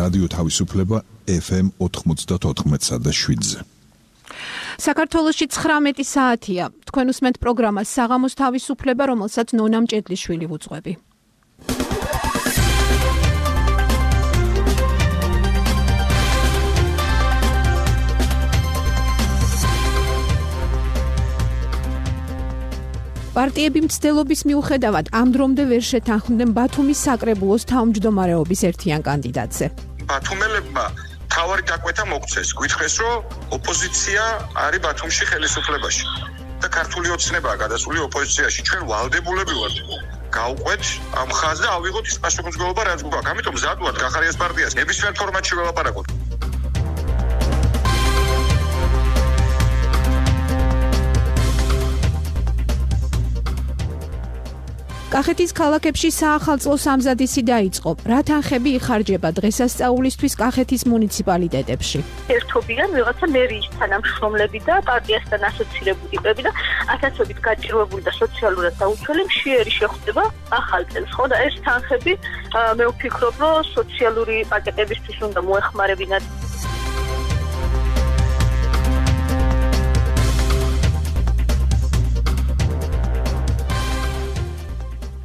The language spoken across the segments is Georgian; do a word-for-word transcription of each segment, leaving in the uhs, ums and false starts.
რადიო თავისუფლება ეფ ემ ოთხმოცდაოთხ და შვიდზე. საქართველოში ცხრამეტი საათია. თქვენ უსმენთ პროგრამას საღამოს თავისუფლება, რომელსაც ნონა მჭედლიშვილი ვუძღვები. პარტიები მცდელობის მიუხედავად ამ დრომდე ვერ შეთანხმდნენ ბათუმის საკრებულოს თავმჯდომარეობის ერთიან კანდიდატზე. ბათუმელებმა თავარი დაკვეთა მოგცეს. გითხრეს, რომ ოპოზიცია არის ბათუმში ხელისუფლებაში და ქართული ოცნებაა გადასული ოპოზიციაში. ჩვენ ვალდებულები ვართ გავყვეთ ამ ხაზს და ავიღოთ ის პასუხისმგებლობა, რაც გვაქვს. ამიტომ მზად ვართ გახარიას პარტიას ნებისმიერ ფორმატში ველაპარაკოთ. კახეთის ქალაქებში საახალწლო სამზადისი დაიწყო. რა თანხები იხარჯება დღესასწაულისთვის კახეთის მუნიციპალიტეტებში? ერთობიან ვიღაცა მერიის თანამშრომლები და პარტიასთან ასოცირებული ტიპები და ათასობით გაჭირვებული და სოციალურად დაუცველი მშიერი შეხვდება ახალ წელს, ხო და ეს თანხები მე ვფიქრობ, რომ სოციალური პაკეტებისთვის უნდა მოეხმარებინათ.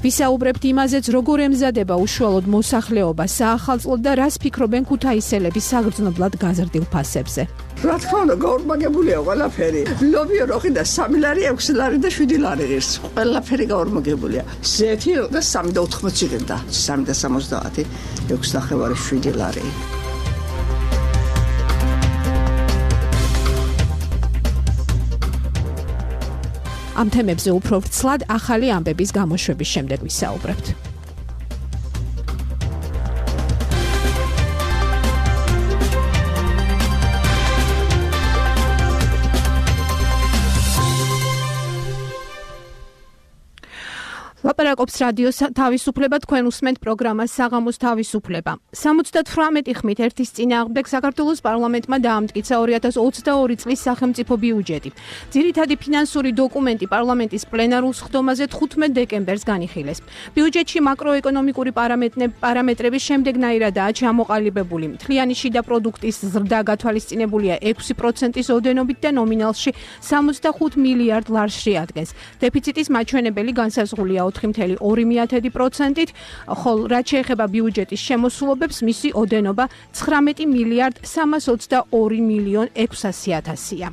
ვისაუბრებთ იმაზეც, როგორ ემზადება უშუალოდ მოსახლეობა საახალწლოდ და რას ფიქრობენ ქუთაისელები საგრძნობლად გაზრდილ ფასებზე. რა თქმა უნდა, გაორმაგებულია ყველაფერი. ლობიო როხი და სამი ლარი, ექვსი ლარი და შვიდი ლარი ღირს. ყველაფერი გაორმაგებულია. ზეთი და სამი და ოთხმოცი ღირდა. სამი და სამოცდაათი, ექვსი ნახევარი, შვიდი ლარი. ამ თემებზე უფრო ვრცლად ახალი ამბების გამოშვების შემდეგ ვისაუბრებთ. ლაპარაკობს რადიო თავისუფლება, თქვენ უსმენთ პროგრამას საღამოს თავისუფლება. სამოცდათვრამეტი ხმით ერთის წინააღმდეგ საქართველოს პარლამენტმა დაამტკიცა ორი ათას ოცდაორი წლის სახელმწიფო ბიუჯეტი. ძირითადი ფინანსური დოკუმენტი პარლამენტის პლენარულ სხდომაზე თხუთმეტ დეკემბერს განიხილეს. ბიუჯეტში მაკროეკონომიკური პარამეტრები შემდეგნაირადაა ჩამოყალიბებული. მთლიანი შიდა პროდუქტის ზრდა გათვალისწინებულია ექვსი პროცენტის ოდენობით და ნომინალში სამოცდახუთ მილიარდ ლარს შეადგენს. დეფიციტის მაჩვენებელი განსაზღვრულია ოთხი წამყვანი ორი პროცენტით, ხოლო რაც შეეხება ბიუჯეტის შემოსულობებს, მისი ოდენობა ცხრამეტი მილიარდ სამას ოცდაორი მილიონ ექვსასი ათასია.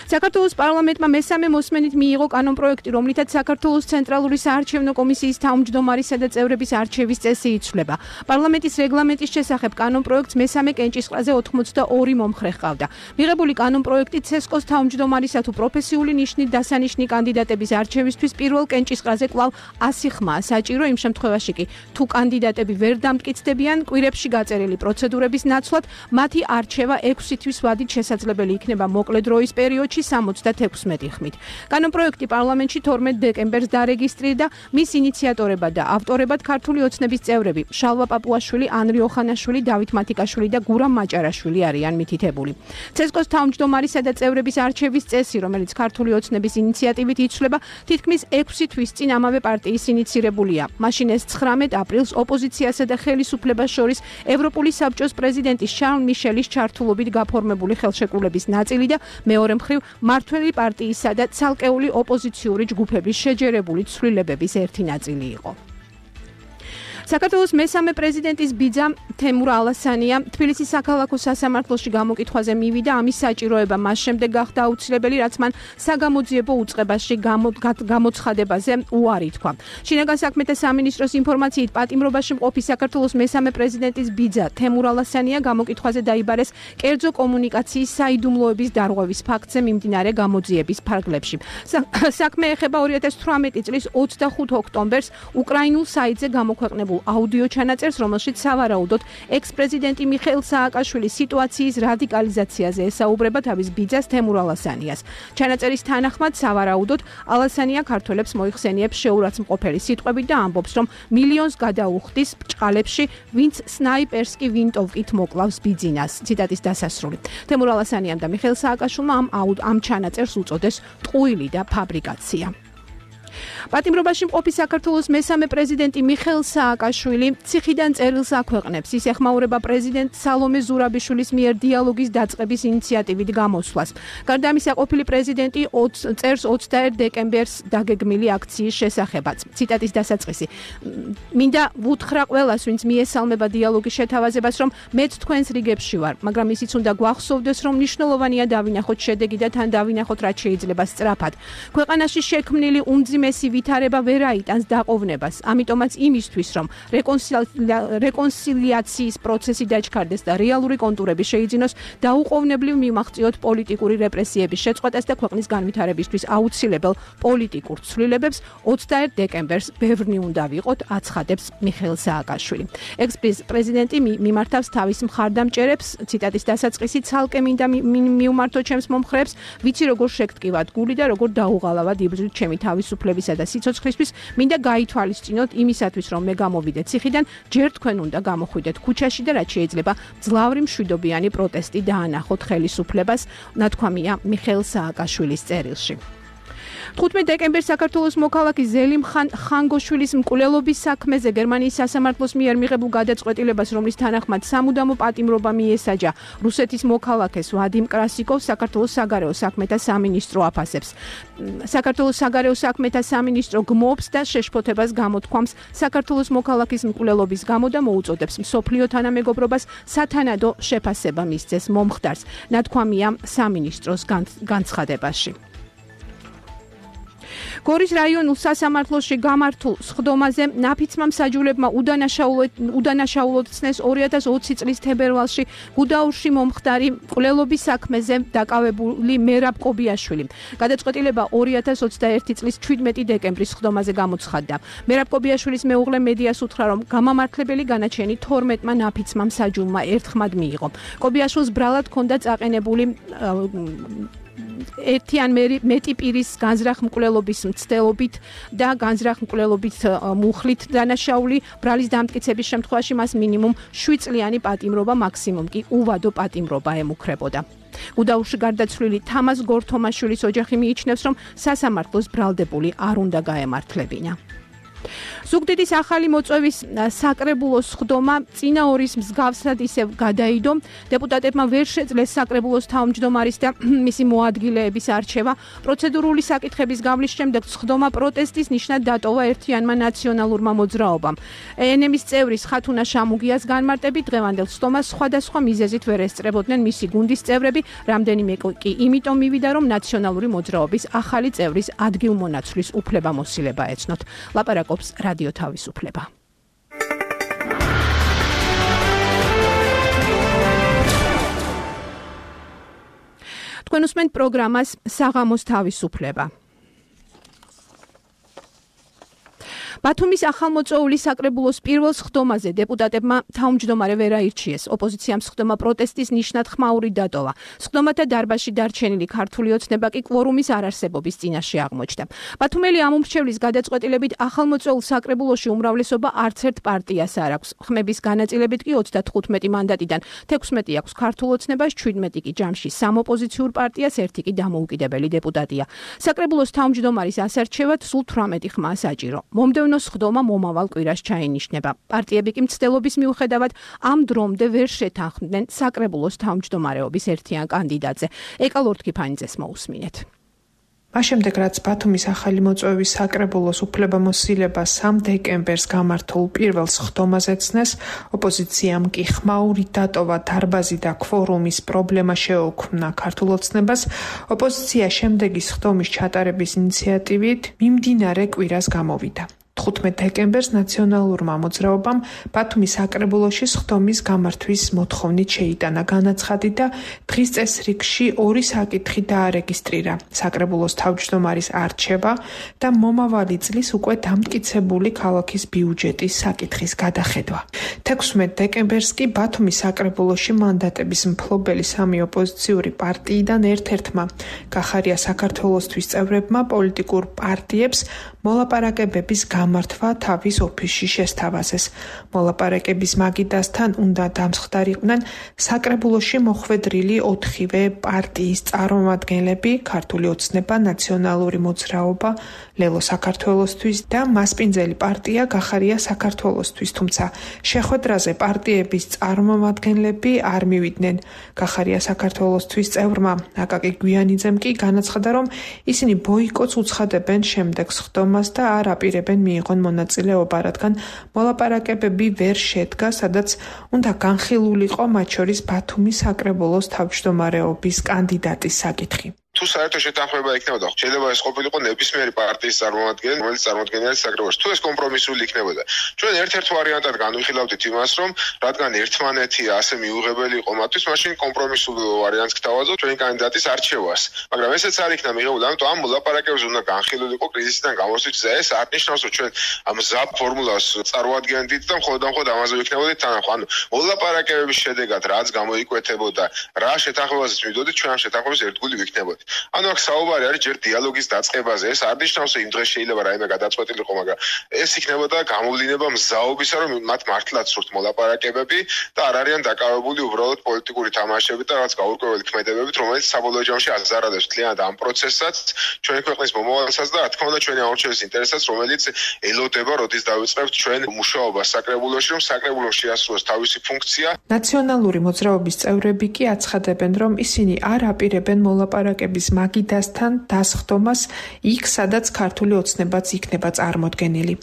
საქართველოს პარლამენტმა მესამე მოსმენით მიიღო კანონპროექტი, რომლითაც საქართველოს ცენტრალური საარჩევნო კომისიის თავმჯდომარისა და წევრების არჩევის წესი იცვლება. პარლამენტის რეგლამენტის შესახებ კანონპროექტს მესამე კენჭისყრაზე ოცდაორი მომხრე ჰყავდა. მიღებული კანონპროექტი ცესკოს თავმჯდომარისა თუ პროფესიული ნიშნით დასანიშნი კანდიდატების არჩევისთვის პირველ კენჭისყრაზე კვლავ ასი ხმაა საჭირო, იმ შემთხვევაში კი თუ კანდიდატები ვერ დამტკიცდებიან კვირებში გაწერილი პროცედურების ნაცვლად, მათი არჩევა ექვსი თვის ვადით შესაძლებელი იქნება მოკლე დროის პერიოდში სამოცდათექვსმეტი ხმით. კანონპროექტი პარლამენტში თორმეტ დეკემბერს დარეგისტრირდა, მის ინიციატორებად და ავტორებად ქართული ოცნების წევრები შალვა პაპუაშვილი, ანრი ოხანაშვილი, დავით მათიკაშვილი და გურამ მაჭარაშვილი არიან მითითებული. ცესკოს თავმჯდომარისა და წევრების არჩევის წესი, რომელიც ქართული ოცნების ინიციატივით იცვლება, თითქმის ექვსი თვის წინ ამავე პარტიის ინიცირებულია. მაშინ ეს ცხრამეტ აპრილს ოპოზიციასა და ხელისუფლებას შორის ევროპული საბჭოს პრეზიდენტის შარლ მიშელის ჩართულობით გაფორმებული ხელშეკრულების ნაწილი და მეორე მხრივ მართველი პარტიისა და ცალკეული ოპოზიციური ჯგუფების შეჯერებული ცვლილებების ერთი ნაწილი იყო. საქართველოს მესამე პრეზიდენტის ბიძა თემურ ალასანია თბილისის საქალაქო სასამართლოში გამოკითხვაზე მივიდა, ამის საჭიროება მას შემდეგ გახდა აუცილებელი, რაც მან საგამოძიებო უწყებაში გამოცხადებაზე უარი თქვა. შინაგან საქმეთა სამინისტროს ინფორმაციით, პატიმრობაში მყოფი საქართველოს მესამე პრეზიდენტის ბიძა თემურ ალასანია გამოკითხვაზე დაიბარეს კერძო კომუნიკაციის საიდუმლოების დარღვევის ფაქტზე მიმდინარე გამოძიების ფარგლებში. საქმე ეხება ორი ათას თვრამეტი წლის ოცდახუთ ოქტომბერს უკრაინულ საიტზე გამოქვეყნებულ აუდიო ჩანაწერს, რომელშიც სავარაუდოდ ექს-პრეზიდენტი მიხეილ სააკაშვილის სიტუაციის რადიკალიზაციაზე ესაუბრება თავის ბიძას თემურ ალასანიას. ჩანაწერის თანახმად სავარაუდოდ ალასანია ქართველებს მოიხსენიებს შეურაცხმყოფელი სიტყვებით და ამბობს, რომ მილიონს გადაუხდის ბრჭყალებში, ვინც სნაიპერს კი ვინტოვკით მოკლავს ბიძინას. ციტატის დასასრული. თემურ ალასანიამ და მიხეილ სააკაშვილმა ამ ამ ჩანაწერს უწოდეს ტყუილი და ფაბრიკაცია. პატიმრობაში მყოფი საქართველოს მესამე პრეზიდენტი მიხეილ სააკაშვილი ციხიდან წერილს აქვეყნებს. ის ეხმაურება პრეზიდენტ სალომე ზურაბიშვილის მიერ დიალოგის დაწყების ინიციატივით გამოსვლას. გარდა ამისა, ყოფილი პრეზიდენტი წერს ოცდაერთ დეკემბერს დაგეგმილი აქციის შესახებაც. ციტატის დასაწყისი. მინდა ვუთხრა ყველას, ვინც მიესალმება დიალოგის შეთავაზებას, რომ მეც თქვენს რიგებში ვარ, მაგრამ ისიც უნდა გვახსოვდეს, რომ მნიშვნელოვანია დავინახოთ შედეგი და თან დავინახოთ, რაც შეიძლება სწრაფად. ქვეყანაში შექმნილი უმძიმესი ვითარება ვერ აიტანს დაყოვნებას. ამიტომაც იმისთვის, რომ რეკონსილიაციის პროცესი დაჩქარდეს და რეალური კონტურები შეიძინოს, დაუყოვნებლივ მივმაღწიოთ პოლიტიკური რეპრესიების შეწყვეტას და ქვეყნის განვითარებისთვის აუცილებელ პოლიტიკურ ცვლილებებს ოცდაერთ დეკემბერს ბევრნი უნდა ვიყოთ, აცხადებს მიხეილ სააკაშვილი. ექს-პრეზიდენტი მიმართავს თავის მხარდამჭერებს, ციტატის დასაწყისი, ცალკე მინდა მიუმართო ჩემს მომხრეებს, ვიცი როგორ შეგტკივათ გული და როგორ დაუღალავად იბრძვით ჩემი თავისუფლებისა და სიცოცხლისთვის, მინდა გაითვალისწინოთ იმისათვის, რომ მე გამოვიდე ციხიდან, ჯერ თქვენ უნდა გამოხვიდეთ ქუჩაში და რაც შეიძლება ძლავრი მშვიდობიანი პროტესტი დაანახოთ ხელისუფლებას, ნათქვამია მიხეილ სააკაშვილის წერილში. თხუთმეტ დეკემბერს საქართველოს მოქალაქე ზელიმ ხანგოშვილის მკვლელობის საქმეზე გერმანიის სასამართლოს მიერ მიღებულ გადაწყვეტილებას, რომლის თანახმად სამუდამო პატიმრობა მიესაჯა რუსეთის მოქალაქეს ვადიმ კრასიკოვს, საქართველოს საგარეო საქმეთა სამინისტრო აფასებს. საქართველოს საგარეო საქმეთა სამინისტრო გმობს და შეშფოთებას გამოთქვამს საქართველოს მოქალაქის მკვლელობის გამო და მოუწოდებს მსოფლიო თანამეგობრობას სათანადო შეფასება მისცეს მომხდარს, ნათქვამია სამინისტროს განცხადებაში. გორის რაიონულ სასამართლოში გამართულ სხდომაზე ნაფიცმა მსაჯულებმა უდანაშაულოდ ცნეს ორი ათას ოცი წლის თებერვალში გუდაურში მომხდარი მკვლელობის საქმეზე დაკავებული მერაბ კობიაშვილი. გადაწყვეტილება ორი ათას ოცდაერთი წლის ჩვიდმეტი დეკემბრის სხდომაზე გამოცხადდა. მერაბ კობიაშვილის მეუღლე მედიას უთხრა, რომ გამამართლებელი განაჩენი თორმეტმა ნაფიცმა მსაჯულმა ერთხმად მიიღო. კობიაშვილს ბრალად ჰქონდა წაყენებული ერთი ან მეტი პირის განზრახ მკვლელობის მცდელობით და განზრახ მკვლელობით მუხლით დანაშაული. ბრალის დამტკიცების შემთხვევაში მას მინიმუმ შვიდ წლიანი პატიმრობა, მაქსიმუმ კი უვადო პატიმრობა ემუქრებოდა. გუდაურში გარდაცვლილი თამაზ გორთომაშვილის ოჯახი მიიჩნევს, რომ სასამართლოს ბრალდებული არ უნდა გაემართლებინა. ზუგდიდის ახალი მოწვევის საკრებულოს სხდომა წინა ორის მსგავსად ისევ გადაიდო. დეპუტატებმა ვერ შეძლეს საკრებულოს თავმჯდომარის და მისი მოადგილეების არჩევა. პროცედურული საკითხების გავლის შემდეგ სხდომა პროტესტის ნიშნად დატოვა ერთიანმა ნაციონალურმა მოძრაობამ. ენემის წევრის ხათუნა შამუგიას განმარტებით დღევანდელ სხდომას სხვადასხვა მიზეზით ვერ ესწრებოდნენ მისი გუნდის წევრები, რამდენიმე კი იმიტომ მივიდა, რომ ნაციონალური მოძრაობის ახალი წევრის ადგილმონაცვლის უფლებამოსილება ეცნოთ. ლაპარაკობს რადიო თავისუფლება. თქვენ უსმენთ პროგრამას საღამოს თავისუფლება. ბათუმის ახალმოწვეული საკრებულოს პირველ სხდომაზე დეპუტატებმა თავმჯდომარე ვერ აირჩიეს. ოპოზიციამ სხდომა პროტესტის ნიშნად ხმაური დატოვა. სხდომათა დარბაზში დარჩენილი ქართული ოცნება კი კვორუმის არარსებობის წინაშე აღმოჩნდა. ბათუმელი ამომრჩევლის გადაწყვეტილებით ახალმოწვეულ საკრებულოში უმრავლესობა არც ერთ პარტიას არ აქვს. ხმების განაწილებით კი ოცდათხუთმეტი მანდატიდან თექვსმეტი აქვს ქართულ ოცნებას, ჩვიდმეტი კი ჯამში სამოპოზიციურ პარტიას, ერთი კი დამოუკიდებელი დეპუტატია. საკრებულოს თავმჯდომარის ასარჩევად სულ თვრამეტი ხმა საჭირო. მომდევნო სხდომა მომავალ კვირას ჩაინიშნება. პარტიები კი მცდელობის მიუხედავად ამ დრომდე ვერ შეთანხმდნენ საკრებულოს თავმჯდომარეობის ერთიან კანდიდატზე. ეკა ლორთქიფანიძეს მოусმინეთ. მას შემდეგ, რაც ბათუმის ახალი მოწვევის საკრებულოს უფლებამოსილება სამ დეკემბერს გამართულ პირველ სხდომაზე ცნეს, ოპოზიციამ კი ხმაური დატოვა დარბაზი და კვორუმის პრობლემა შეუქმნა ქართულ ოცნებას. ოპოზიცია შემდეგი სხდომის ჩატარების ინიციატივით მიმდინარე კვირას გამოვიდა. თხუთმეტ დეკემბერს ნაციონალურმა მოძრაობამ ბათუმის საკრებულოში სხდომის გამართვის მოთხოვნით შეიტანა განაცხადი და დღის წესრიგში ორი საკითხი დაარეგისტრირა: საკრებულოს თავმჯდომარის არჩევა და მომავალი წლის უკვე დამტკიცებული ქალაქის ბიუჯეტის საკითხის გადახედვა. თექვსმეტ დეკემბერს კი ბათუმის საკრებულოში მანდატების მფლობელი სამი ოპოზიციური პარტიიდან ერთ-ერთმა გახარია საქართველოსთვის წევრებმა პოლიტიკურ პარტიებს მოლაპარაკებების გამართვა თავის ოფისში შესთავაზეს. მოლაპარაკების მაგიდასთან უნდა დამსხდარიყვნენ საკრებულოში მოხვედრილი ოთხივე პარტიის წარმომადგენლები, ქართული ოცნება, ნაციონალური მოძრაობა, ლელო საქართველოსთვის და მასპინძელი პარტია გახარია საქართველოსთვის, თუმცა შეხვედრაზე პარტიების წარმომადგენლები არ მივიდნენ. გახარია საქართველოსთვის წევრმა აკაკი გვიანიძემ კი განაცხადა, რომ ისინი ბოიკოტს უცხადებენ შემდეგ სხდომას და არ აპირებენ მიიღონ მონაწილეობა, რადგან მოლაპარაკებები ვერ შედგა, სადაც უნდა განხილულიყო მათ შორის ბათუმის საკრებულოს თავმჯდომარეობის კანდიდატის საკითხი. თუ საერთო შეთანხმება იქნებოდა, შეიძლება ეს ყოფილიყო ნებისმიერი პარტიის წარმომადგენელი, რომელიც წარმოადგენია საკრებულოს. თუ ეს კომპრომისული იქნებოდა, ჩვენ ერთ-ერთ ვარიანტად განვიხილავდით იმას, რომ რადგან ერთმანეთი ასე მიუღებელი იყო მათთვის, მაშინ კომპრომისულ ვარიანტს გთავაზობთ ჩვენი კანდიდატის არჩევას. მაგრამ ესეც არ იქნა მიღებული, ამიტომ ამ მოლაპარაკებებზე უნდა განხილულიყო კრიზისიდან გამოსვლით და ეს არ ნიშნავს, რომ ჩვენ ამ ზაბ ფორმულას წარმოადგენდით და მხოლოდ და მხოლოდ ამაზე ვიქნებოდით თანახმად. ანუ მოლაპარაკებების შედეგად რაც გამოიკვეთებოდა, რა შეთანხმებაზეც მივიდოდით, ჩვენ ამ შეთანხმებას ერთგული ვიქნებოდით. ანუ აქ საუბარი არის ჯერ დიალოგის დაწყებაზე. ეს არ ნიშნავს, რომ იმ დღეს შეიძლება რაიმე გადაწყვეტილიყო, მაგრამ ეს იქნებოდა გამოვლინება მზაობისა, რომ მათ მართლაც სურთ მოლაპარაკებები და არ არიან დაკავებული უბრალოდ პოლიტიკური თამაშებით და რაღაც გაურკვეველი ქმედებებით, რომელიც საბოლოო ჯამში აზარალებს მთლიანად ამ პროცესსაც, ჩვენი ქვეყნის მომავალსაც და რა თქმა უნდა ჩვენი აურჩევის ინტერესსაც, რომელიც ელოდება, როდის დავიწყებთ ჩვენ მუშაობას საკრებულოში, რომ საკრებულო შეასრულოს თავისი ფუნქცია. ნაციონალური მოძრაობის წევრები კი აცხადებენ, რომ ისინი არ აპირებენ მოლაპარაკებების მაგიდასთან დასხდომას იქ, სადაც ქართული ოცნებაც იქნება წარმოდგენილი.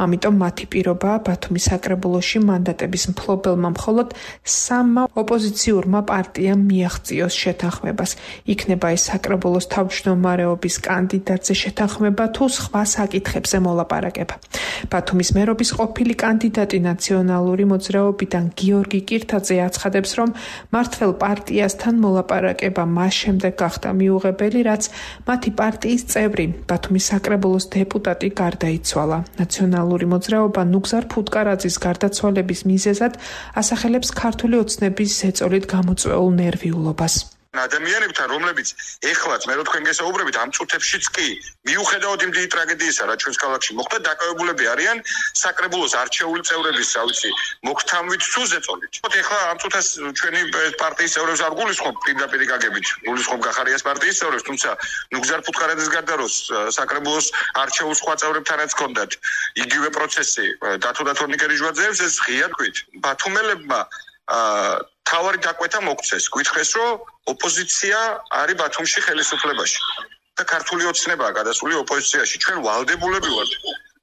ამიტომ მათი პირობაა ბათუმის საკრებულოში მანდატების მფლობელმა მხოლოდ სამმა ოპოზიციურმა პარტიამ მიაღწიოს შეთანხმებას. იქნება ეს საკრებულოს თავმჯდომარეობის კანდიდატზე შეთანხმება თუ სხვა საკითხებზე მოლაპარაკება. ბათუმის მერობის ყოფილი კანდიდატი ნაციონალური მოძრაობიდან გიორგი კირთაძე აცხადებს, რომ მართველ პარტიასთან მოლაპარაკება მას შემდეგ გახდა მიუღებელი, რაც მათი პარტიის წევრი, ბათუმის საკრებულოს დეპუტატი გარდაიცვალა. ნაციონალური მოძრაობა ნუგზარ ფუტკარაძის გარდაცვალების მიზეზად ასახელებს ქართული ოცნების ზეწოლით გამოწვეულ ნერვიულობას. ადამიანებთან, რომლებიც ეხლაც მე რო თქვენ გესაუბრებით ამ წუთებშიც კი მიუხედავად იმ დიდი ტრაგედიისა, რაც ჩვენს ქალაქში მოხდა, დაკავებულები არიან საკრებულოს არჩეული წევრების, რა ვიცი, მოქთამვით თუ ზეწოლით. ეხლა ამ წუთას ჩვენი პარტიის წევრებს არ გულისხმობ პირდაპირ გაგებით, გულისხმობ გახარიას პარტიის წევრებს, თუმცა ნუგზარ ფუტკარაძის გარდა რო საკრებულოს არჩეულ სხვა წევრებთანაც ჰქონდათ იგივე პროცესი, დათო დათორნიკელი ჟვაძეებს, ეს ღია თქვით. ბათუმელებმა თავარი დაკვეთა მოგცეს. გითხრეს, რომ ოპოზიცია არის ბათუმში ხელისუფლებაში და ქართული ოცნებაა გადასული ოპოზიციაში. ჩვენ ვალდებულები ვართ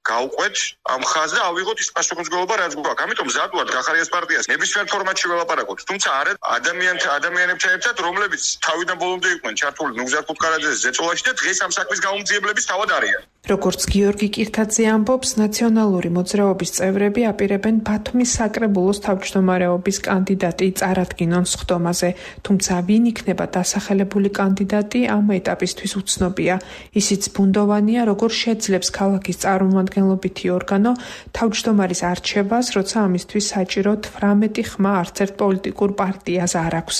გავყვეთ ამ ხაზს და ავიღოთ ის პასუხისმგებლობა, რაც გვაქვს. ამიტომ მზად ვართ გახარიას პარტიას ნებისმიერ ფორმატში ველაპარაკოთ. თუმცა არა ადამიანთა ადამიანებთან ერთად, რომლებიც თავიდან ბოლომდე იყვნენ ჩართული ნუგზარ ფუტკარაძეს ზეწოლაში და დღეს ამ საქმის გაუმძიებლების თავად არიან. როგორც გიორგი კირთაძე ამბობს, ნაციონალური მოძრაობის წევრები აპირებენ ბათუმის საკრებულოს თავმჯდომარეობის კანდიდატი წარადგინონ სხდომაზე, თუმცა ვინ იქნება დასახელებული კანდიდატი ამ ეტაპისთვის უცნობია. ისიც ბუნდოვანია, როგორ შეძლებს ქალაქის წარმომადგენლობითი ორგანო თავმჯდომარის არჩევას, როცა ამისთვის საჭირო თვრამეტი ხმა არც ერთ პოლიტიკურ პარტიას არ აქვს.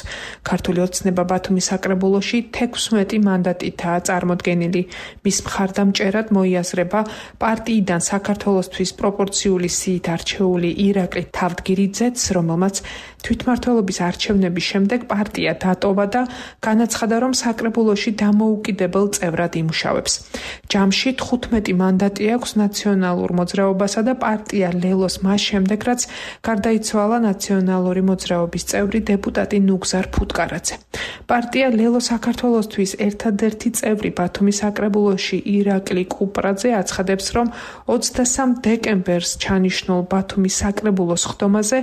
ქართული ოცნება ბათუმის საკრებულოში თექვსმეტი მანდატითაა წარმოდგენილი. მის მხარდამჭერად მოიაზრება პარტიიდან საქართველოსთვის პროპორციული სიით არჩეული ირაკლი თავდგირიძეც, რომელმაც თვითმმართველობის არჩევნების შემდეგ პარტია დატოვა და განაცხადა, რომ საკრებულოში დამოუკიდებელ წევრად იმუშავებს. ჯამში თხუთმეტი მანდატი აქვს ნაციონალურ მოძრაობასა და პარტია ლელოს მას შემდეგ, რაც გარდაიცვალა ნაციონალური მოძრაობის წევრი დეპუტატი ნუგზარ ფუტკარაძე. პარტია ლელო საქართველოსთვის ერთადერთი წევრი ბათუმის საკრებულოში ირაკლი კუპრაძე აცხადებს, რომ ოცდასამ დეკემბერს ჩანიშნულ ბათუმის საკრებულოს სხდომაზე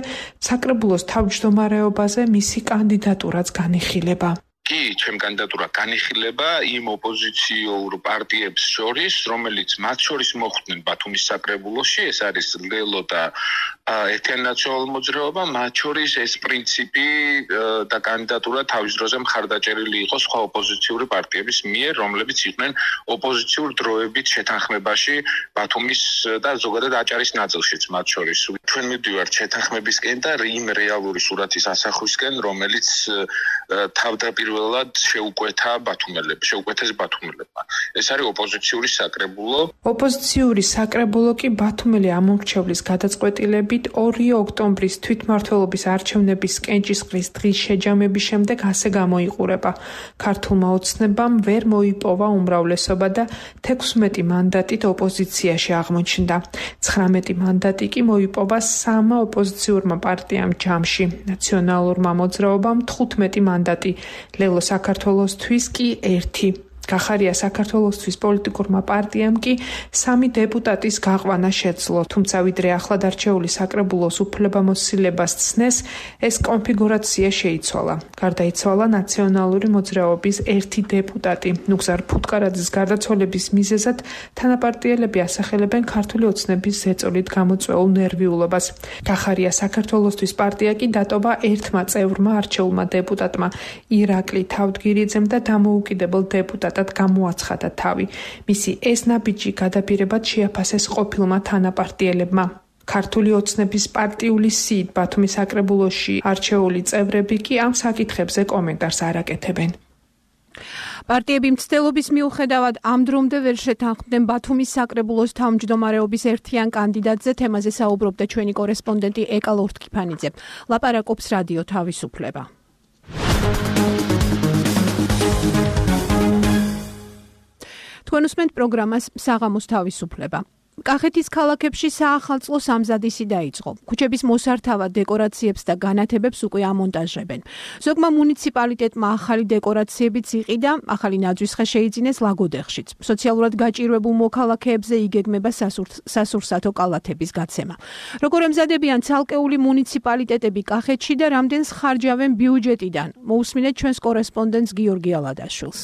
საკრებულოს თავმჯდომარეობაზე მისი კანდიდატურაც განიხილება. კი, ჩემი კანდიდატურა განიხილება იმ ოპოზიციურ პარტიებს შორის, რომელიც მათ შორის მოხვდნენ ბათუმის საკრებულოში, ეს არის ლელო და ერთიანი ნაციონალური მოძრაობა, მათ შორის ეს პრინციპი და კანდიდატურა თავის დროზე მხარდაჭერილი იყო სხვა ოპოზიციური პარტიების მიერ, რომლებიც იყვნენ ოპოზიციურ დროებით შეთანხმებაში ბათუმის და ზოგადად აჭარის ნაწილშიც მათ შორის. ჩვენ მივდივართ შეთანხმებისკენ და იმ რეალური სურათის ასახვისკენ, რომელიც თავდაპირველად შეუკვეთა ბათუმელებს, შეუკვეთეს ბათუმელებმა. ეს არის ოპოზიციური საკრებულო. ოპოზიციური საკრებულო კი ბათუმელი ამომრჩევლის გადაწყვეტილებით ორი ოქტომბრის თვითმმართველობის არჩევნების კენჭისყრის დღის შეჯამების შემდეგ ასე გამოიყურება. ქართულმა ოცნებამ ვერ მოიპოვა უმრავლესობა და თექვსმეტი მანდატით ოპოზიციაში აღმოჩნდა. ცხრამეტი მანდატი კი მოიპოვა სამმა ოპოზიციურმა პარტიამ ჯამში. ნაციონალურმა მოძრაობამ თხუთმეტი მანდატი, ლელო საქართველოსთვის კი ერთი. გახარია საქართველოსთვის პოლიტიკურმა პარტიამ კი სამი დეპუტატის გაყვანა შეძლო, თუმცა ვიდრე ახლად არჩეული საკრებულოს უფლებამოსილებას ცნეს, ეს კონფიგურაცია შეიცვალა. გარდაიცვალა ნაციონალური მოძრაობის ერთი დეპუტატი. ნუგზარ ფუტკარაძის გარდაცვალების მიზეზად თანაპარტიელები ასახელებენ ქართული ოცნების ზეწოლით გამოწვეულ ნერვიულობას. გახარია საქართველოსთვის პარტია კი დატოვა ერთმა წევრმა არჩეულმა დეპუტატმა ირაკლი თავდგირიძემ და დამოუკიდებელ დეპუტატ გამოაცხადა თავი. მისი ეს ნაბიჯი გადაპირებად შეაფასეს ყოფილმა თანაპარტიელებმა. ქართული ოცნების პარტიული სიით ბათუმის საკრებულოში არჩეული წევრები კი ამ საკითხებზე კომენტარს არ აკეთებენ. პარტიები მცდელობის მიუხედავად ამ დრომდე ვერ შეთანხმდნენ ბათუმის საკრებულოს თავმჯდომარეობის ერთიან კანდიდატზე. თემაზე საუბრობდა ჩვენი კორესპონდენტი ეკა ლორთქიფანიძე. ლაპარაკობს რადიო თავისუფლება. თქვენ უსმენთ პროგრამას საღამოს თავისუფლება. კახეთის ქალაქებში საახალწლო სამზადისი დაიწყო. ქუჩების მოსართავად დეკორაციებს და განათებებს უკვე ამონტაჟებენ. ზოგმა მუნიციპალიტეტმა ახალი დეკორაციებიც იყიდა, ახალი ნაძვისხე შეიძინეს ლაგოდეხშიც. სოციალურად გაჭირვებულ მოქალაქეებზე იგეგმება სასურსათო კალათების გაცემა. როგორ ემზადებიან ცალკეული მუნიციპალიტეტები კახეთში და რამდენს ხარჯავენ ბიუჯეტიდან? მოусმინეთ ჩვენს კორესპონდენტს გიორგი ალადაშვილს.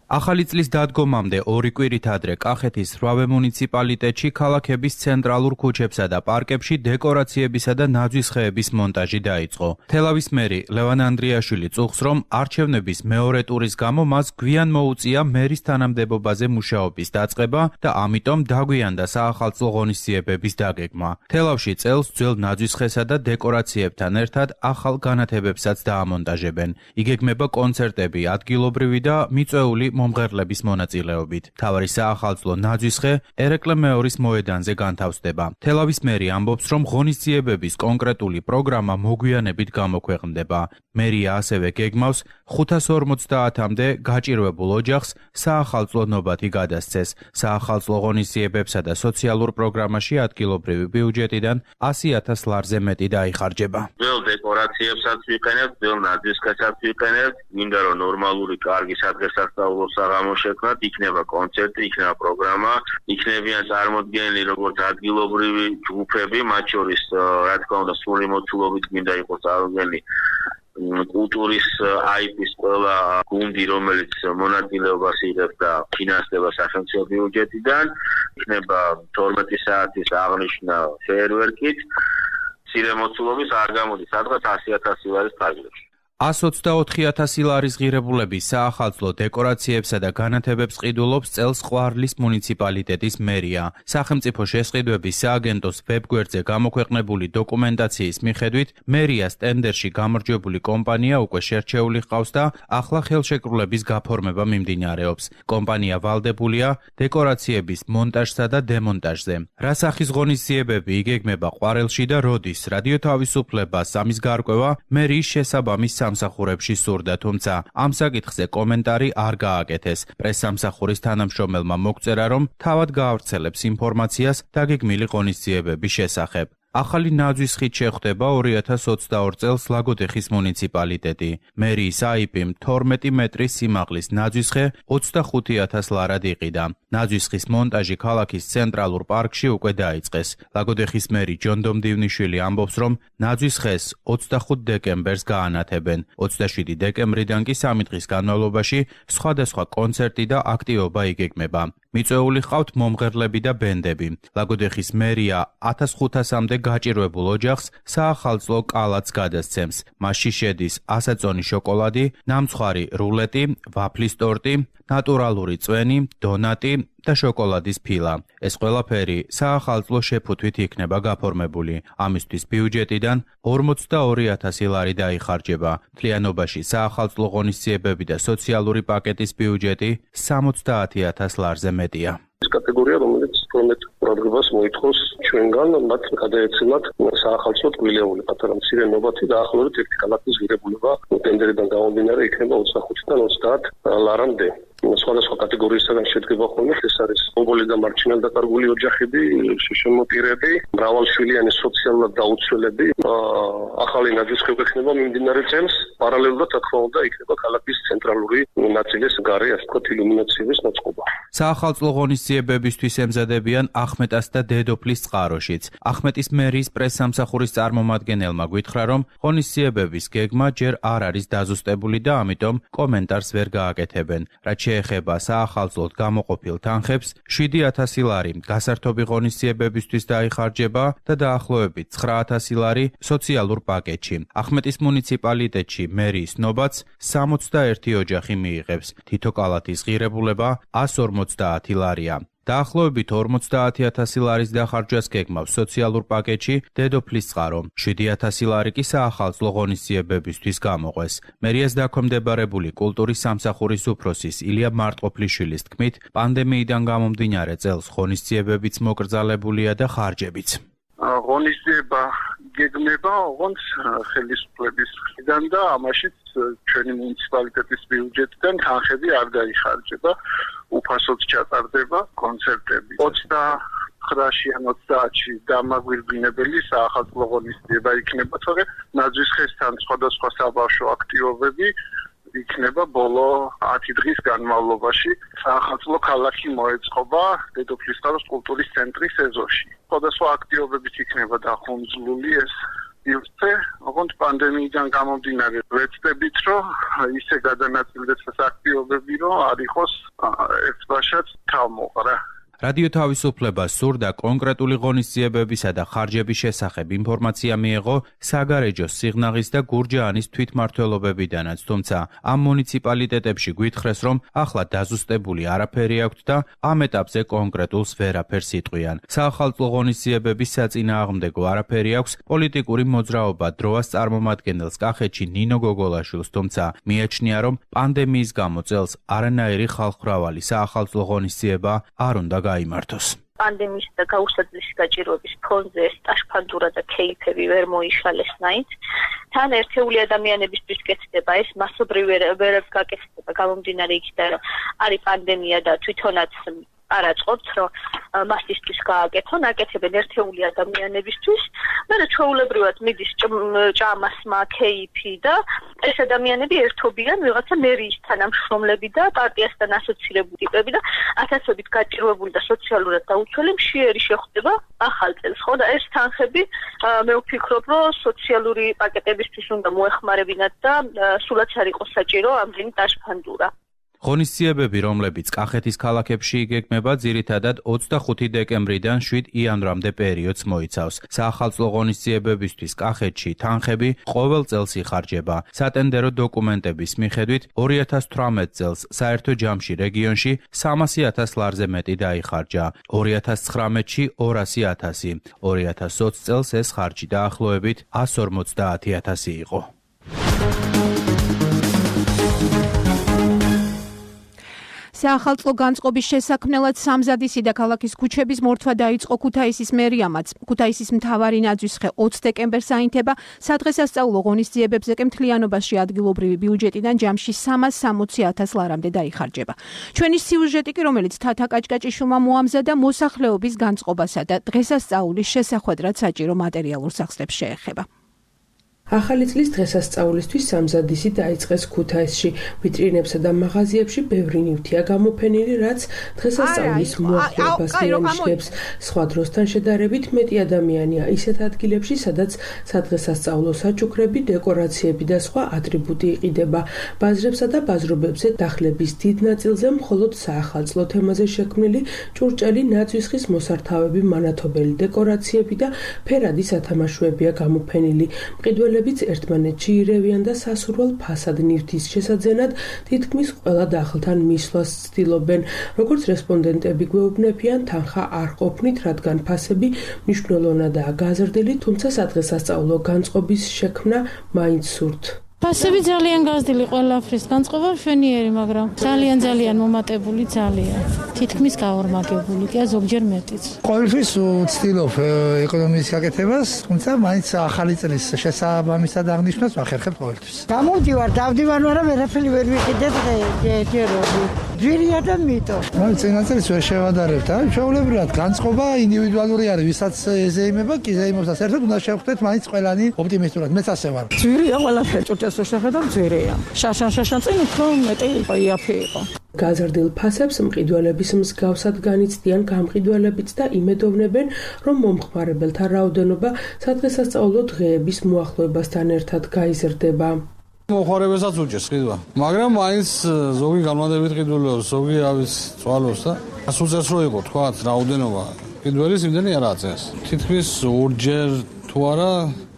ახალი წლის დადგომამდე ორი კვირით ადრე კახეთის რვავე მუნიციპალიტეტში ქალაქების ცენტრალურ ქუჩებსა და პარკებში დეკორაციებისა და ნაძვისხეების მონტაჟი დაიწყო. თელავის მერი ლევან ანდრიაშვილი წუხს, რომ არჩევნების მეორე ტურის გამო მას გვიან მოუწია მერის თანამდებობაზე მუშაობის დაწყება და ამიტომ დაგვიანდა საახალწლო ღონისძიებების დაგეგმა. თელავში წელს ძველ ნაძვისხესა და დეკორაციებთან ერთად ახალ განათებებსაც დაამონტაჟებენ. იგეგმება კონცერტები ადგილობრივი და მიწვეული მომღერლების მონაწილეობით. მთავარი საახალწლო ნაძვისხე ერეკლე მეორის მოედანზე განთავსდება. თელავის მერი ამბობს, რომ ღონისძიებების კონკრეტული პროგრამა მოგვიანებით გამოქვეყნდება. მერია ასევე გეგმავს ხუთას ორმოცდაათამდე გაჭირვებულ ოჯახს საახალწლო ნობათი გადასცეს. საახალწლო ღონისძიებებსა და სოციალურ პროგრამაში ადგილობრივი ბიუჯეტიდან ასი ათას ლარზე მეტი დაიხარჯება. ძველ დეკორაციებსაც ვიყენებთ, ძველ ნაძვისხესაც ვიყენებთ, მინდა რომ ნორმალური კარგი სადღესასწაულო საღამო შექმნათ, იქნება კონცერტი, იქნება პროგრამა, იქნებიან წარმოდგენილი როგორც ადგილობრივი ჯგუფები, მათ შორის რა თქმა უნდა სრული მოცულობით მინდა იყოს წარმოდგენილი კულტურის აიპის ყველა გუნდი, რომელიც მონაწილეობას იღებს და ფინანსდება სახელმწიფო ბიუჯეტიდან, იქნება თორმეტი საათის აღნიშვნა ფეერვერკით, მცირე მოცულობის არ გამოდის, სადღაც ასი ათასი ლარის ფარგლებში. ას ოცდაოთხი ათასი ლარის ღირებულების საახალწლო დეკორაციებსა და განათებებს ყიდულობს წელს ყვარლის მუნიციპალიტეტის მერია. სახელმწიფო შესყიდვების სააგენტოს ვებგვერდზე გამოქვეყნებული დოკუმენტაციის მიხედვით, მერიას ტენდერში გამარჯვებული კომპანია უკვე შერჩეული ჰყავს და ახლა ხელშეკრულების გაფორმება მიმდინარეობს. კომპანია ვალდებულია დეკორაციების მონტაჟსა და დემონტაჟზე. რა სახის ღონისძიებები იგეგმება ყვარელში და როდის? რადიო თავისუფლებას ამის გარკვევა მერიის შესაბამის სამსახურებში სურდა, თუმცა ამ საკითხზე კომენტარი არ გააკეთეს. პრესსამსახურის თანამშრომელმა მოგწერა, რომ თავად გაავრცელებს ინფორმაციას დაგეგმილი ღონისძიებების შესახებ. ახალი ნაძვისხით შეხვდება ორი ათას ოცდაორ წელს ლაგოდეხის მუნიციპალიტეტი. მერიის აიპიმ თორმეტი მეტრის სიმაღლის ნაძვისხე ოცდახუთი ათას ლარად იყიდა. ნაძვისხის მონტაჟი ქალაქის ცენტრალურ პარკში უკვე დაიწყეს. ლაგოდეხის მერი ჯონ დომდივნიშვილი ამბობს, რომ ნაძვისხეს ოცდახუთ დეკემბერს გაანათებენ. ოცდაშვიდი დეკემბრიდან კი სამი დღის განმავლობაში სხვადასხვა კონცერტი და აქტივობა იგეგმება. მიწვეული ჰყავთ მომღერლები და ბენდები. ლაგოდეხის მერია ათას ხუთასამდე გაჭირვებულ ოჯახს საახალწლო კალათს გადასცემს. მასში შედის ასაწონი შოკოლადი, ნამცხვარი რულეტი, ვაფლის ტორტი, ნატურალური წვენი, დონატი, და შოკოლადის ფილა. ეს ყველაფერი საახალწლო შეფუთვით იქნება გაფორმებული. ამისთვის ბიუჯეტიდან ორმოცდაორი ათასი ლარი დაიხარჯება. მთლიანობაში საახალწლო ღონისძიებები და სოციალური პაკეტის ბიუჯეტი სამოცდაათი ათას ლარზე მეტია. ეს კატეგორია, რომელიც პრომეთ პროგრამას მოითხოვს ჩვენგან, მათ გადაეცემათ საახალწლო ტკბილეული პატარა მცირე ნობათი და ახლობით ერთი ქალაქის ღირებულება ტენდერიდან გამომდინარე იქნება ოცდახუთიდან ოცდაათ ლარამდე. სხვადასხვა კატეგორიისგან შედგება ხოლმე, ეს არის მომბოლი და მარჩინალ დაკარგული ოჯახები, შემოპირები, მრავალშვილიანი სოციალურად დაუცველები, ახალი ნაძვისხები ექნება მიმდინარე წელს, პარალელურად რა თქმა უნდა იქნება ქალაქის ცენტრალური ნაწილის გარე, ასე ვთქვათ, ილუმინაციების მოწყობა. საახალწლო ღონისძიებებისთვის ემზადებიან ახმეტას და დედოფლის წყაროშიც. ახმეტის მერიის პრესსამსახურის წარმომადგენელმა გითხრა, რომ ღონისძიებების გეგმა ჯერ არ არის დაზუსტებული და ამიტომ კომენტარს ვერ გააკეთებენ. რაც შეეხება საახალწლოდ გამოყოფილ თანხებს, შვიდი ათასი ლარი გასართობი ღონისძიებებისთვის დაიხარჯება და დაახლოებით ცხრა ათასი ლარი სოციალურ პაკეტში. ახმეტის მუნიციპალიტეტში მერიის ნობაც სამოცდაერთი ოჯახი მიიღებს. თითო კალათის ღირებულება εκατს ორმოცდაათი ლარია. დაახლოებით ორმოცდაათი ათასი ლარის დახარჯვას გეგმავს სოციალურ პაკეტში დედოფლის წყარო. შვიდი ათასი ლარი კი საახალწლო ღონისძიებებისთვის გამოყვეს. მერიას დაქვემდებარებული კულტურის სამსახურის უფროსის ილია მარტყოფლიშვილის თქმით, პანდემიიდან გამომდინარე წელს ღონისძიებებიც მოკრძალებულია და ხარჯებიც. ღონისძიება გეგმება ოღონდ ხელისუფლების მხრიდან და ამაშიც ჩვენი მუნიციპალიტეტის ბიუჯეტიდან თანხები არ დაიხარჯება, უფასოდ ჩატარდება კონცერტები. ოცდაცხრაში ან ოცდაათში დამაგვირგვინებელი საახალწლო ღონისძიება იქნება, თორემ ნაძვისხესთან სხვადასხვა საბავშვო აქტივობები იქნება ბოლო ათი დღის განმავლობაში. საახალწლო ქალაქი მოეწყობა დედოფლის წყაროს კულტურის ცენტრის ეზოში. სხვადასხვა აქტივობებით იქნება დახუმძლული ეს იუსტე, ოღონდ პანდემიიდან გამომდინარე ვეცდებით, რომ ისე გადანაწილდეს ეს აქტივობები, რომ არ იყოს ერთბაშად თავმოყრა. რადიო თავისუფლებას სურდა კონკრეტული ღონისძიებებისა და ხარჯების შესახებ ინფორმაცია მიეღო საგარეჯოს, სიღნაღის და გურჯაანის თვითმმართველობებიდანაც, თუმცა ამ მუნიციპალიტეტებში გვითხრეს, რომ ახლა დაზუსტებული არაფერი აქვთ და ამ ეტაპზე კონკრეტულს ვერაფერს იტყვიან. საახალწლო ღონისძიებების საწინააღმდეგო არაფერი აქვს პოლიტიკური მოძრაობა დროას წარმომადგენელს კახეთში ნინო გოგოლაშვილს, თუმცა მიაჩნია, რომ პანდემიის გამო წელს არანაირი ხალხმრავალი საახალწლო ღონისძიება არ უნდა გაიმართოს. პანდემიის და გაუსაძლის გაჭირვების ფონზე სტაშფანდურა და კეიფები ვერ მოიშალესნაით. თან ერთეული ადამიანებისთვის კეთდება ეს მასობრივ ვერ გაკეთდება გამომდინარე იქიდან, რომ არის პანდემია და თვითონაც არაწყობთ, რომ მასისთვის გააკეთონ, აკეთებენ ერთეული ადამიანებისთვის, მერე ჩვეულებრივად მიდის ჭამასმა, კეიფი და ეს ადამიანები ერთობიან ვიღაცა მერიის თანამშრომლები და პარტიასთან ასოცირებული ტიპები და ათასობით გაჭირვებული და სოციალურად დაუცველი მშიერი შეხვდება ახალ წელს, ხო და ეს თანხები მე ვფიქრობ, რომ სოციალური პაკეტებისთვის უნდა მოეხმარებინათ და სულაც არ იყოს საჭირო ამდენი დაშფანდურა. ღონისძიებები, რომლებიც კახეთის ქალაქებში იგეგმება, ძირითადად ოცდახუთი დეკემბრიდან შვიდ იანვრამდე პერიოდს მოიცავს. საახალწლო ღონისძიებებისთვის კახეთში თანხები ყოველ წელს იხარჯება. სატენდერო დოკუმენტების მიხედვით ორი ათას თვრამეტ წელს საერთო ჯამში რეგიონში სამასი ათას ლარზე მეტი დაიხარჯა. ორი ათას ცხრამეტში ორასი ათასი. ორი ათას ოცი წელს ეს ხარჯი დაახლოებით εκατს ორმოცდაათი ათასი იყო. საახალწლო განწყობის შესაქმნელად სამზადისი და ქალაქის ქუჩების მორთვა დაიწყო ქუთაისის მერიამაც. ქუთაისის მთავარი ნაძვისხე ოცი დეკემბერს აინთება, სადღესასწაულო ღონისძიებებზე კი მთლიანობაში ადგილობრივი ბიუჯეტიდან ჯამში სამას სამოცი ათას ლარამდე დაიხარჯება. ჩვენი სიუჟეტი კი, რომელიც თათა კაჭკაჭიშვილმა მოამზადა, მოსახლეობის განწყობასა და დღესასწაულის შესახვედრად საჭირო მატერიალურ სახსრებს შეეხება. ახალი წლის დღესასწაულისთვის სამზადისი დაიწყეს ქუთაისში. ვიტრინებსა და მაღაზიებში ბევრი ნივთია გამოფენილი, რაც დღესასწაულის მოახლეობას მიანიშნებს. სხვა დროსთან შედარებით მეტი ადამიანია ისეთ ადგილებში, სადაც სადღესასწაულო საჩუქრები, დეკორაციები და სხვა ატრიბუტი იყიდება. ბაზრებსა და ბაზრობებზე დახლების დიდ ნაწილზე მხოლოდ საახალწლო თემაზე შექმნილი ჭურჭელი, ნაძვისხის მოსართავები, მანათობელი დეკორაციები და ფერადი სათამაშოებია გამოფენილი. მყიდველი გამგრელებიც ერთმანეთში ირევიან და სასურველ ფასად ნივთის შესაძენად თითქმის ყველა დახლთან მისვლას ცდილობენ. როგორც რესპონდენტები გვეუბნებიან, თანხა არ ყოფნით, რადგან ფასები მნიშვნელოვნადაა გაზრდილი, თუმცა სადღესასწაულო განწყობის შექმნა მაინც სურთ. ფასები ძალიან გაზრდილი ყველაფრის განწყობა მშვენიერი, მაგრამ ძალიან ძალიან მომატებული ძალიან. თითქმის გაორმაგებული, კი ზოგჯერ მეტიც. ყოველთვის ვცდილობ ეკონომიკის გაკეთებას, თუმცა მაინც ახალი წლის შესაბამისად აღნიშვნას ვახერხებ ყოველთვის. გამოვდივარ, დავდივარ, მაგრამ ვერაფერი ვერ ვიყიდე ჯეროდი. ძვირია და მიტო. მაინც წინა წელს ვერ შევადარებთ, აი, ჩვეულებრივად განწყობა ინდივიდუალური არის, ვისაც ზეიმება, კი ზეიმობს და საერთოდ უნდა შევხვდეთ მაინც ყველანი ოპტიმისტურად. მეც ასე ვარ. ძვირია ყველაფერი, ჭურჭელს შეხედავ ძვირია. შაშან შაშან წინ უფრო მეტი იაფი იყო. გაზრდილ ფასებს მყიდველების მსგავსად განიცდიან გამყიდველებიც და იმედოვნებენ, რომ მომხმარებელთა რაოდენობა სადღესასწაულო დღეების მოახლოებასთან ერთად გაიზრდება. მოხმარებელსაც უჭერს ყიდვა, მაგრამ მაინც ზოგი განმადებით ყიდულობს, ზოგი ავის წვალობს და ასუცერს რო იყო თქვა რაოდენობა ყიდველის იმდენი არ აწეს. თითქმის ორჯერ თუ არა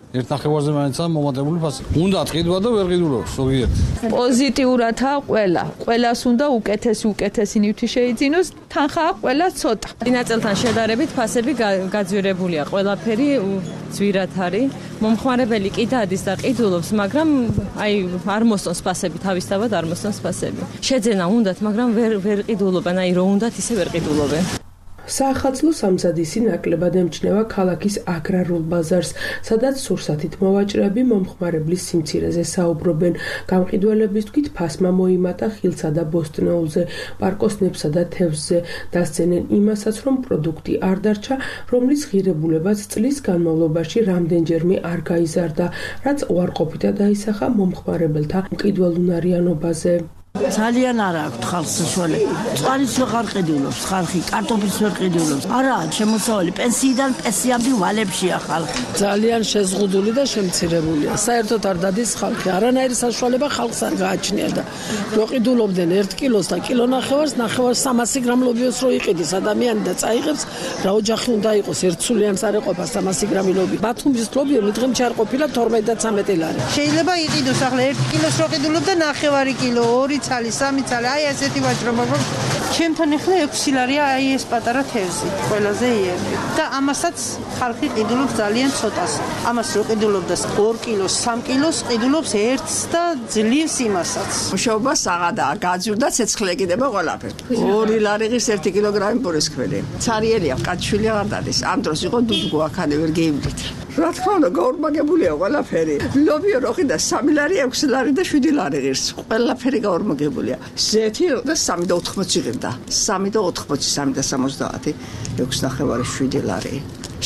ერთ ნახევარზე მაინცაა მომატებული ფასი. უნდა ყიდვა და ვერ ყიდულობს ზოგიერთ. პოზიტიურათა ყველა. ყველას უნდა უკეთესი უკეთესი ნივთი შეიძინოს, თანხა ყველა ცოტა. წინა წელთან შედარებით ფასები გაძვირებულია. ყველაფერი ძვირად არის. მომხმარებელი კი დადის და ყიდულობს, მაგრამ აი არ მოსწონს ფასები, თავისთავად არ მოსწონს ფასები. შეძენა უნდათ, მაგრამ ვერ ვერ ყიდულობენ, აი რო უნდათ ისე ვერ ყიდულობენ. საახალწლო სამზადისი ნაკლებად ემჩნევა ქალაქის აგრარულ ბაზარს, სადაც სურსათით მოვაჭრეები მომხმარებლის სიმცირეზე საუბრობენ. გამყიდველების თქმით, ფასმა მოიმატა ხილსა და ბოსტნეულზე, პარკოსნებსა და თევზზე. დასცენენ იმასაც, რომ პროდუქტი არ დარჩა, რომლის ღირებულებაც წლის განმავლობაში რამდენჯერმე არ გაიზარდა, რაც უარყოფითად დაისახა მომხმარებელთა მყიდველუნარიანობაზე. ძალიან არა აქვს ხალხს საშუალება. წყალიც ვეღარ ყიდულობს, ხალხი კარტოფილს ვერ ყიდულობს. არაა შემოსავალი პენსიიდან პენსიამდე ვალებშია ხალხი. ძალიან შეზღუდული და შემცირებულია. საერთოდ არ დადის ხალხი. არანაირი საშუალება ხალხს არ გააჩნია და რო ყიდულობდნენ ერთ კილოს და კილო ნახევარს, ნახევარს სამასი გრამ ლობიოს რო იყიდის ადამიანი და წაიღებს, რა ოჯახი უნდა იყოს, ერთსულიანს არ ეყოფა სამასი გრამი ლობი. ბათუმის ლობიო მიდღემ არ ყოფილა თორმეტ და ცამეტი ლარი. შეიძლება იყიდოს ახლა ერთ კილოს რო ყიდულობდა ნახევარი კილო, ორი ცალი, სამი ცალი, აი ასეთი ვაჭრო, მაგრამ ჩემთან ახლა ექვსი ლარია აი ეს პატარა თევზი, ყველაზე იერი. და ამასაც ხალხი ყიდულობს ძალიან ცოტას. ამას რო ყიდულობდეს ორ კილოს, სამ კილოს, ყიდულობს ერთს და ძლივს იმასაც. მუშაობა საღადაა, გაძვირდა ცეცხლი ეკიდება ყველაფერი. ორი ლარიღის ერთი კილოგრამი პურისქვილი. ცარიელია, კაცშვილი აღარ დადის. ამ დროს იყო დუდგო აქანე ვერ გეიმდით. რა თქმა უნდა, გაორმაგებულია ყველაფერი. ლობიო რო ყიდა სამი ლარი, ექვსი ლარი და შვიდი ლარი ღირს. ყველაფერი გაორმაგებულია. ზეთი და სამი და ოთხმოცი ღირდა. სამი და ოთხმოცი, სამი და სამოცდაათი, ექვსი ნახევარი, შვიდი ლარი.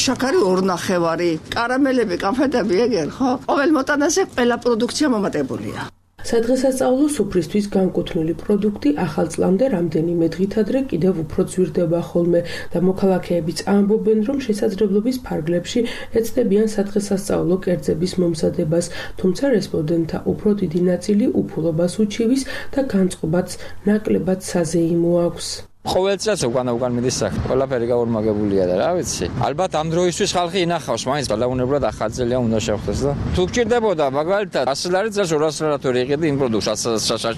შაქარი ორ ნახევარი, კარამელები, კანფეტები ეგერ, ხო? ყოველ მოტანაზე ყველა პროდუქცია მომატებულია. სადღესასწაულო სუფრისთვის განკუთვნილი პროდუქტი ახალ წლამდე რამდენიმე დღით ადრე კიდევ უფრო ძვირდება ხოლმე და მოქალაქეებიც ამბობენ, რომ შესაძლებლობის ფარგლებში ეცდებიან სადღესასწაულო კერძების მომზადებას, თუმცა რესპონდენტთა უფრო დიდი ნაწილი უფულობას უჩივის და განწყობაც ნაკლებად საზეიმო აქვს. ყოველ წელს უკან უკან მიდის სახე. ყველაფერი გაორმაგებულია და რა ვიცი. ალბათ ამ დროისთვის ხალხი ინახავს, მაინც ბალაუნებლად ახალი წელია უნდა შევხვდეს და თუ გჭირდებოდა მაგალითად ასი ლარი წელს ორასი ლარი თუ იყიდი იმ პროდუქტს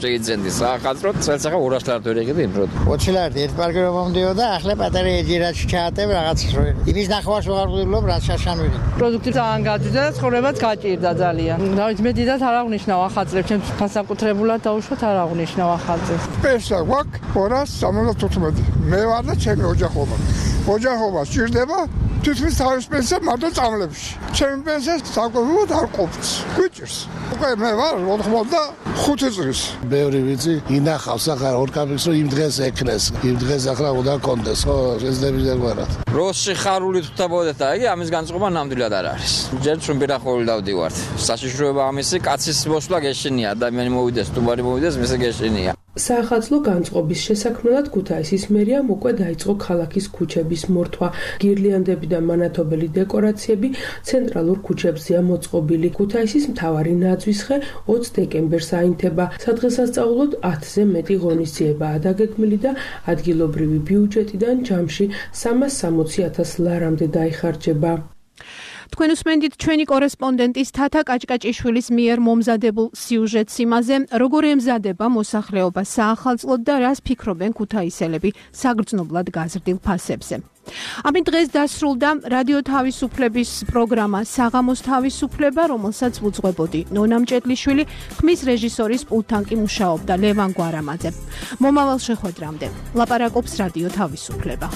შეიძენდი. ახალწლო წელს ახლა ორასი ლარი თუ იყიდი იმ პროდუქტს. ოცი ლარი ერთ პარკერ მომდიოდა, ახლა პატარა ეჯერაში ჩაატებ რაღაც რო. იმის ნახევარს ვეღარ ვყიდულობ, რაც შაშანვილი. პროდუქტი ძალიან გაძვირდა და ცხოვრებაც გაჭირდა ძალიან. დავით მე დიდად არ აღნიშნავ ახალ წლებს, ჩემს განსაკუთრებულად დაუშვათ არ აღნიშნავ ახალ წლებს. პესა გვაქვს ორასი სამოცდაოთხი მე ვარ და ჩემი ოჯახობა. ოჯახობა სჭირდება თითქმის თავის პენსია მარტო წამლებში. ჩემი პენსია საკუთრებულად არ ყოფს. გვიჭირს. უკვე მე ვარ ოთხმოცდახუთი წლის. ბევრი ვიცი, ინახავს ახლა ორ კაპიკს რომ იმ დღეს ეკნეს. იმ დღეს ახლა უნდა კონდეს, ხო, შეძლებიც არ ვარ. როსი ხარული თუთაბოდეთ და იგი ამის განწყობა ნამდვილად არ არის. ჯერ ჩვენ პირახული დავდივართ. საშიშროება ამისი კაცის მოსვლა გეშინია, ადამიანი მოვიდეს, სტუმარი მოვიდეს, მისე გეშინია. საახალწლო განწყობის შესაქმნელად ქუთაისის მერიამ უკვე დაიწყო ქალაქის ქუჩების მორთვა. გირლიანდები და მანათობელი დეკორაციები ცენტრალურ ქუჩებზეა მოწყობილი. ქუთაისის მთავარი ნაძვის ხე ოცი დეკემბერს აინთება. სადღესასწაულოდ ათზე მეტი ღონისძიებაა დაგეგმილი და ადგილობრივი ბიუჯეტიდან ჯამში სამას სამოცი ათას ლარამდე დაიხარჯება. თქვენ უსმენთ ჩვენი კორესპონდენტის თათა კაჭკაჭიშვილის მიერ მომზადებულ სიუჟეტს იმაზე, როგორ ემზადება მოსახლეობა საახალწლოდ და რას ფიქრობენ ქუთაისელები საგრძნობლად გაზრდილ ფასებზე. ამით დღეს დასრულდა რადიო თავისუფლების პროგრამა საღამოს თავისუფლება, რომელსაც ვუძღვებოდი ნონა მჭედლიშვილი, ხმის რეჟისორის პულტთან კი მუშაობდა ლევან გვარამაძე. მომავალ შეხვედრამდე ლაპარაკობს რადიო თავისუფლება.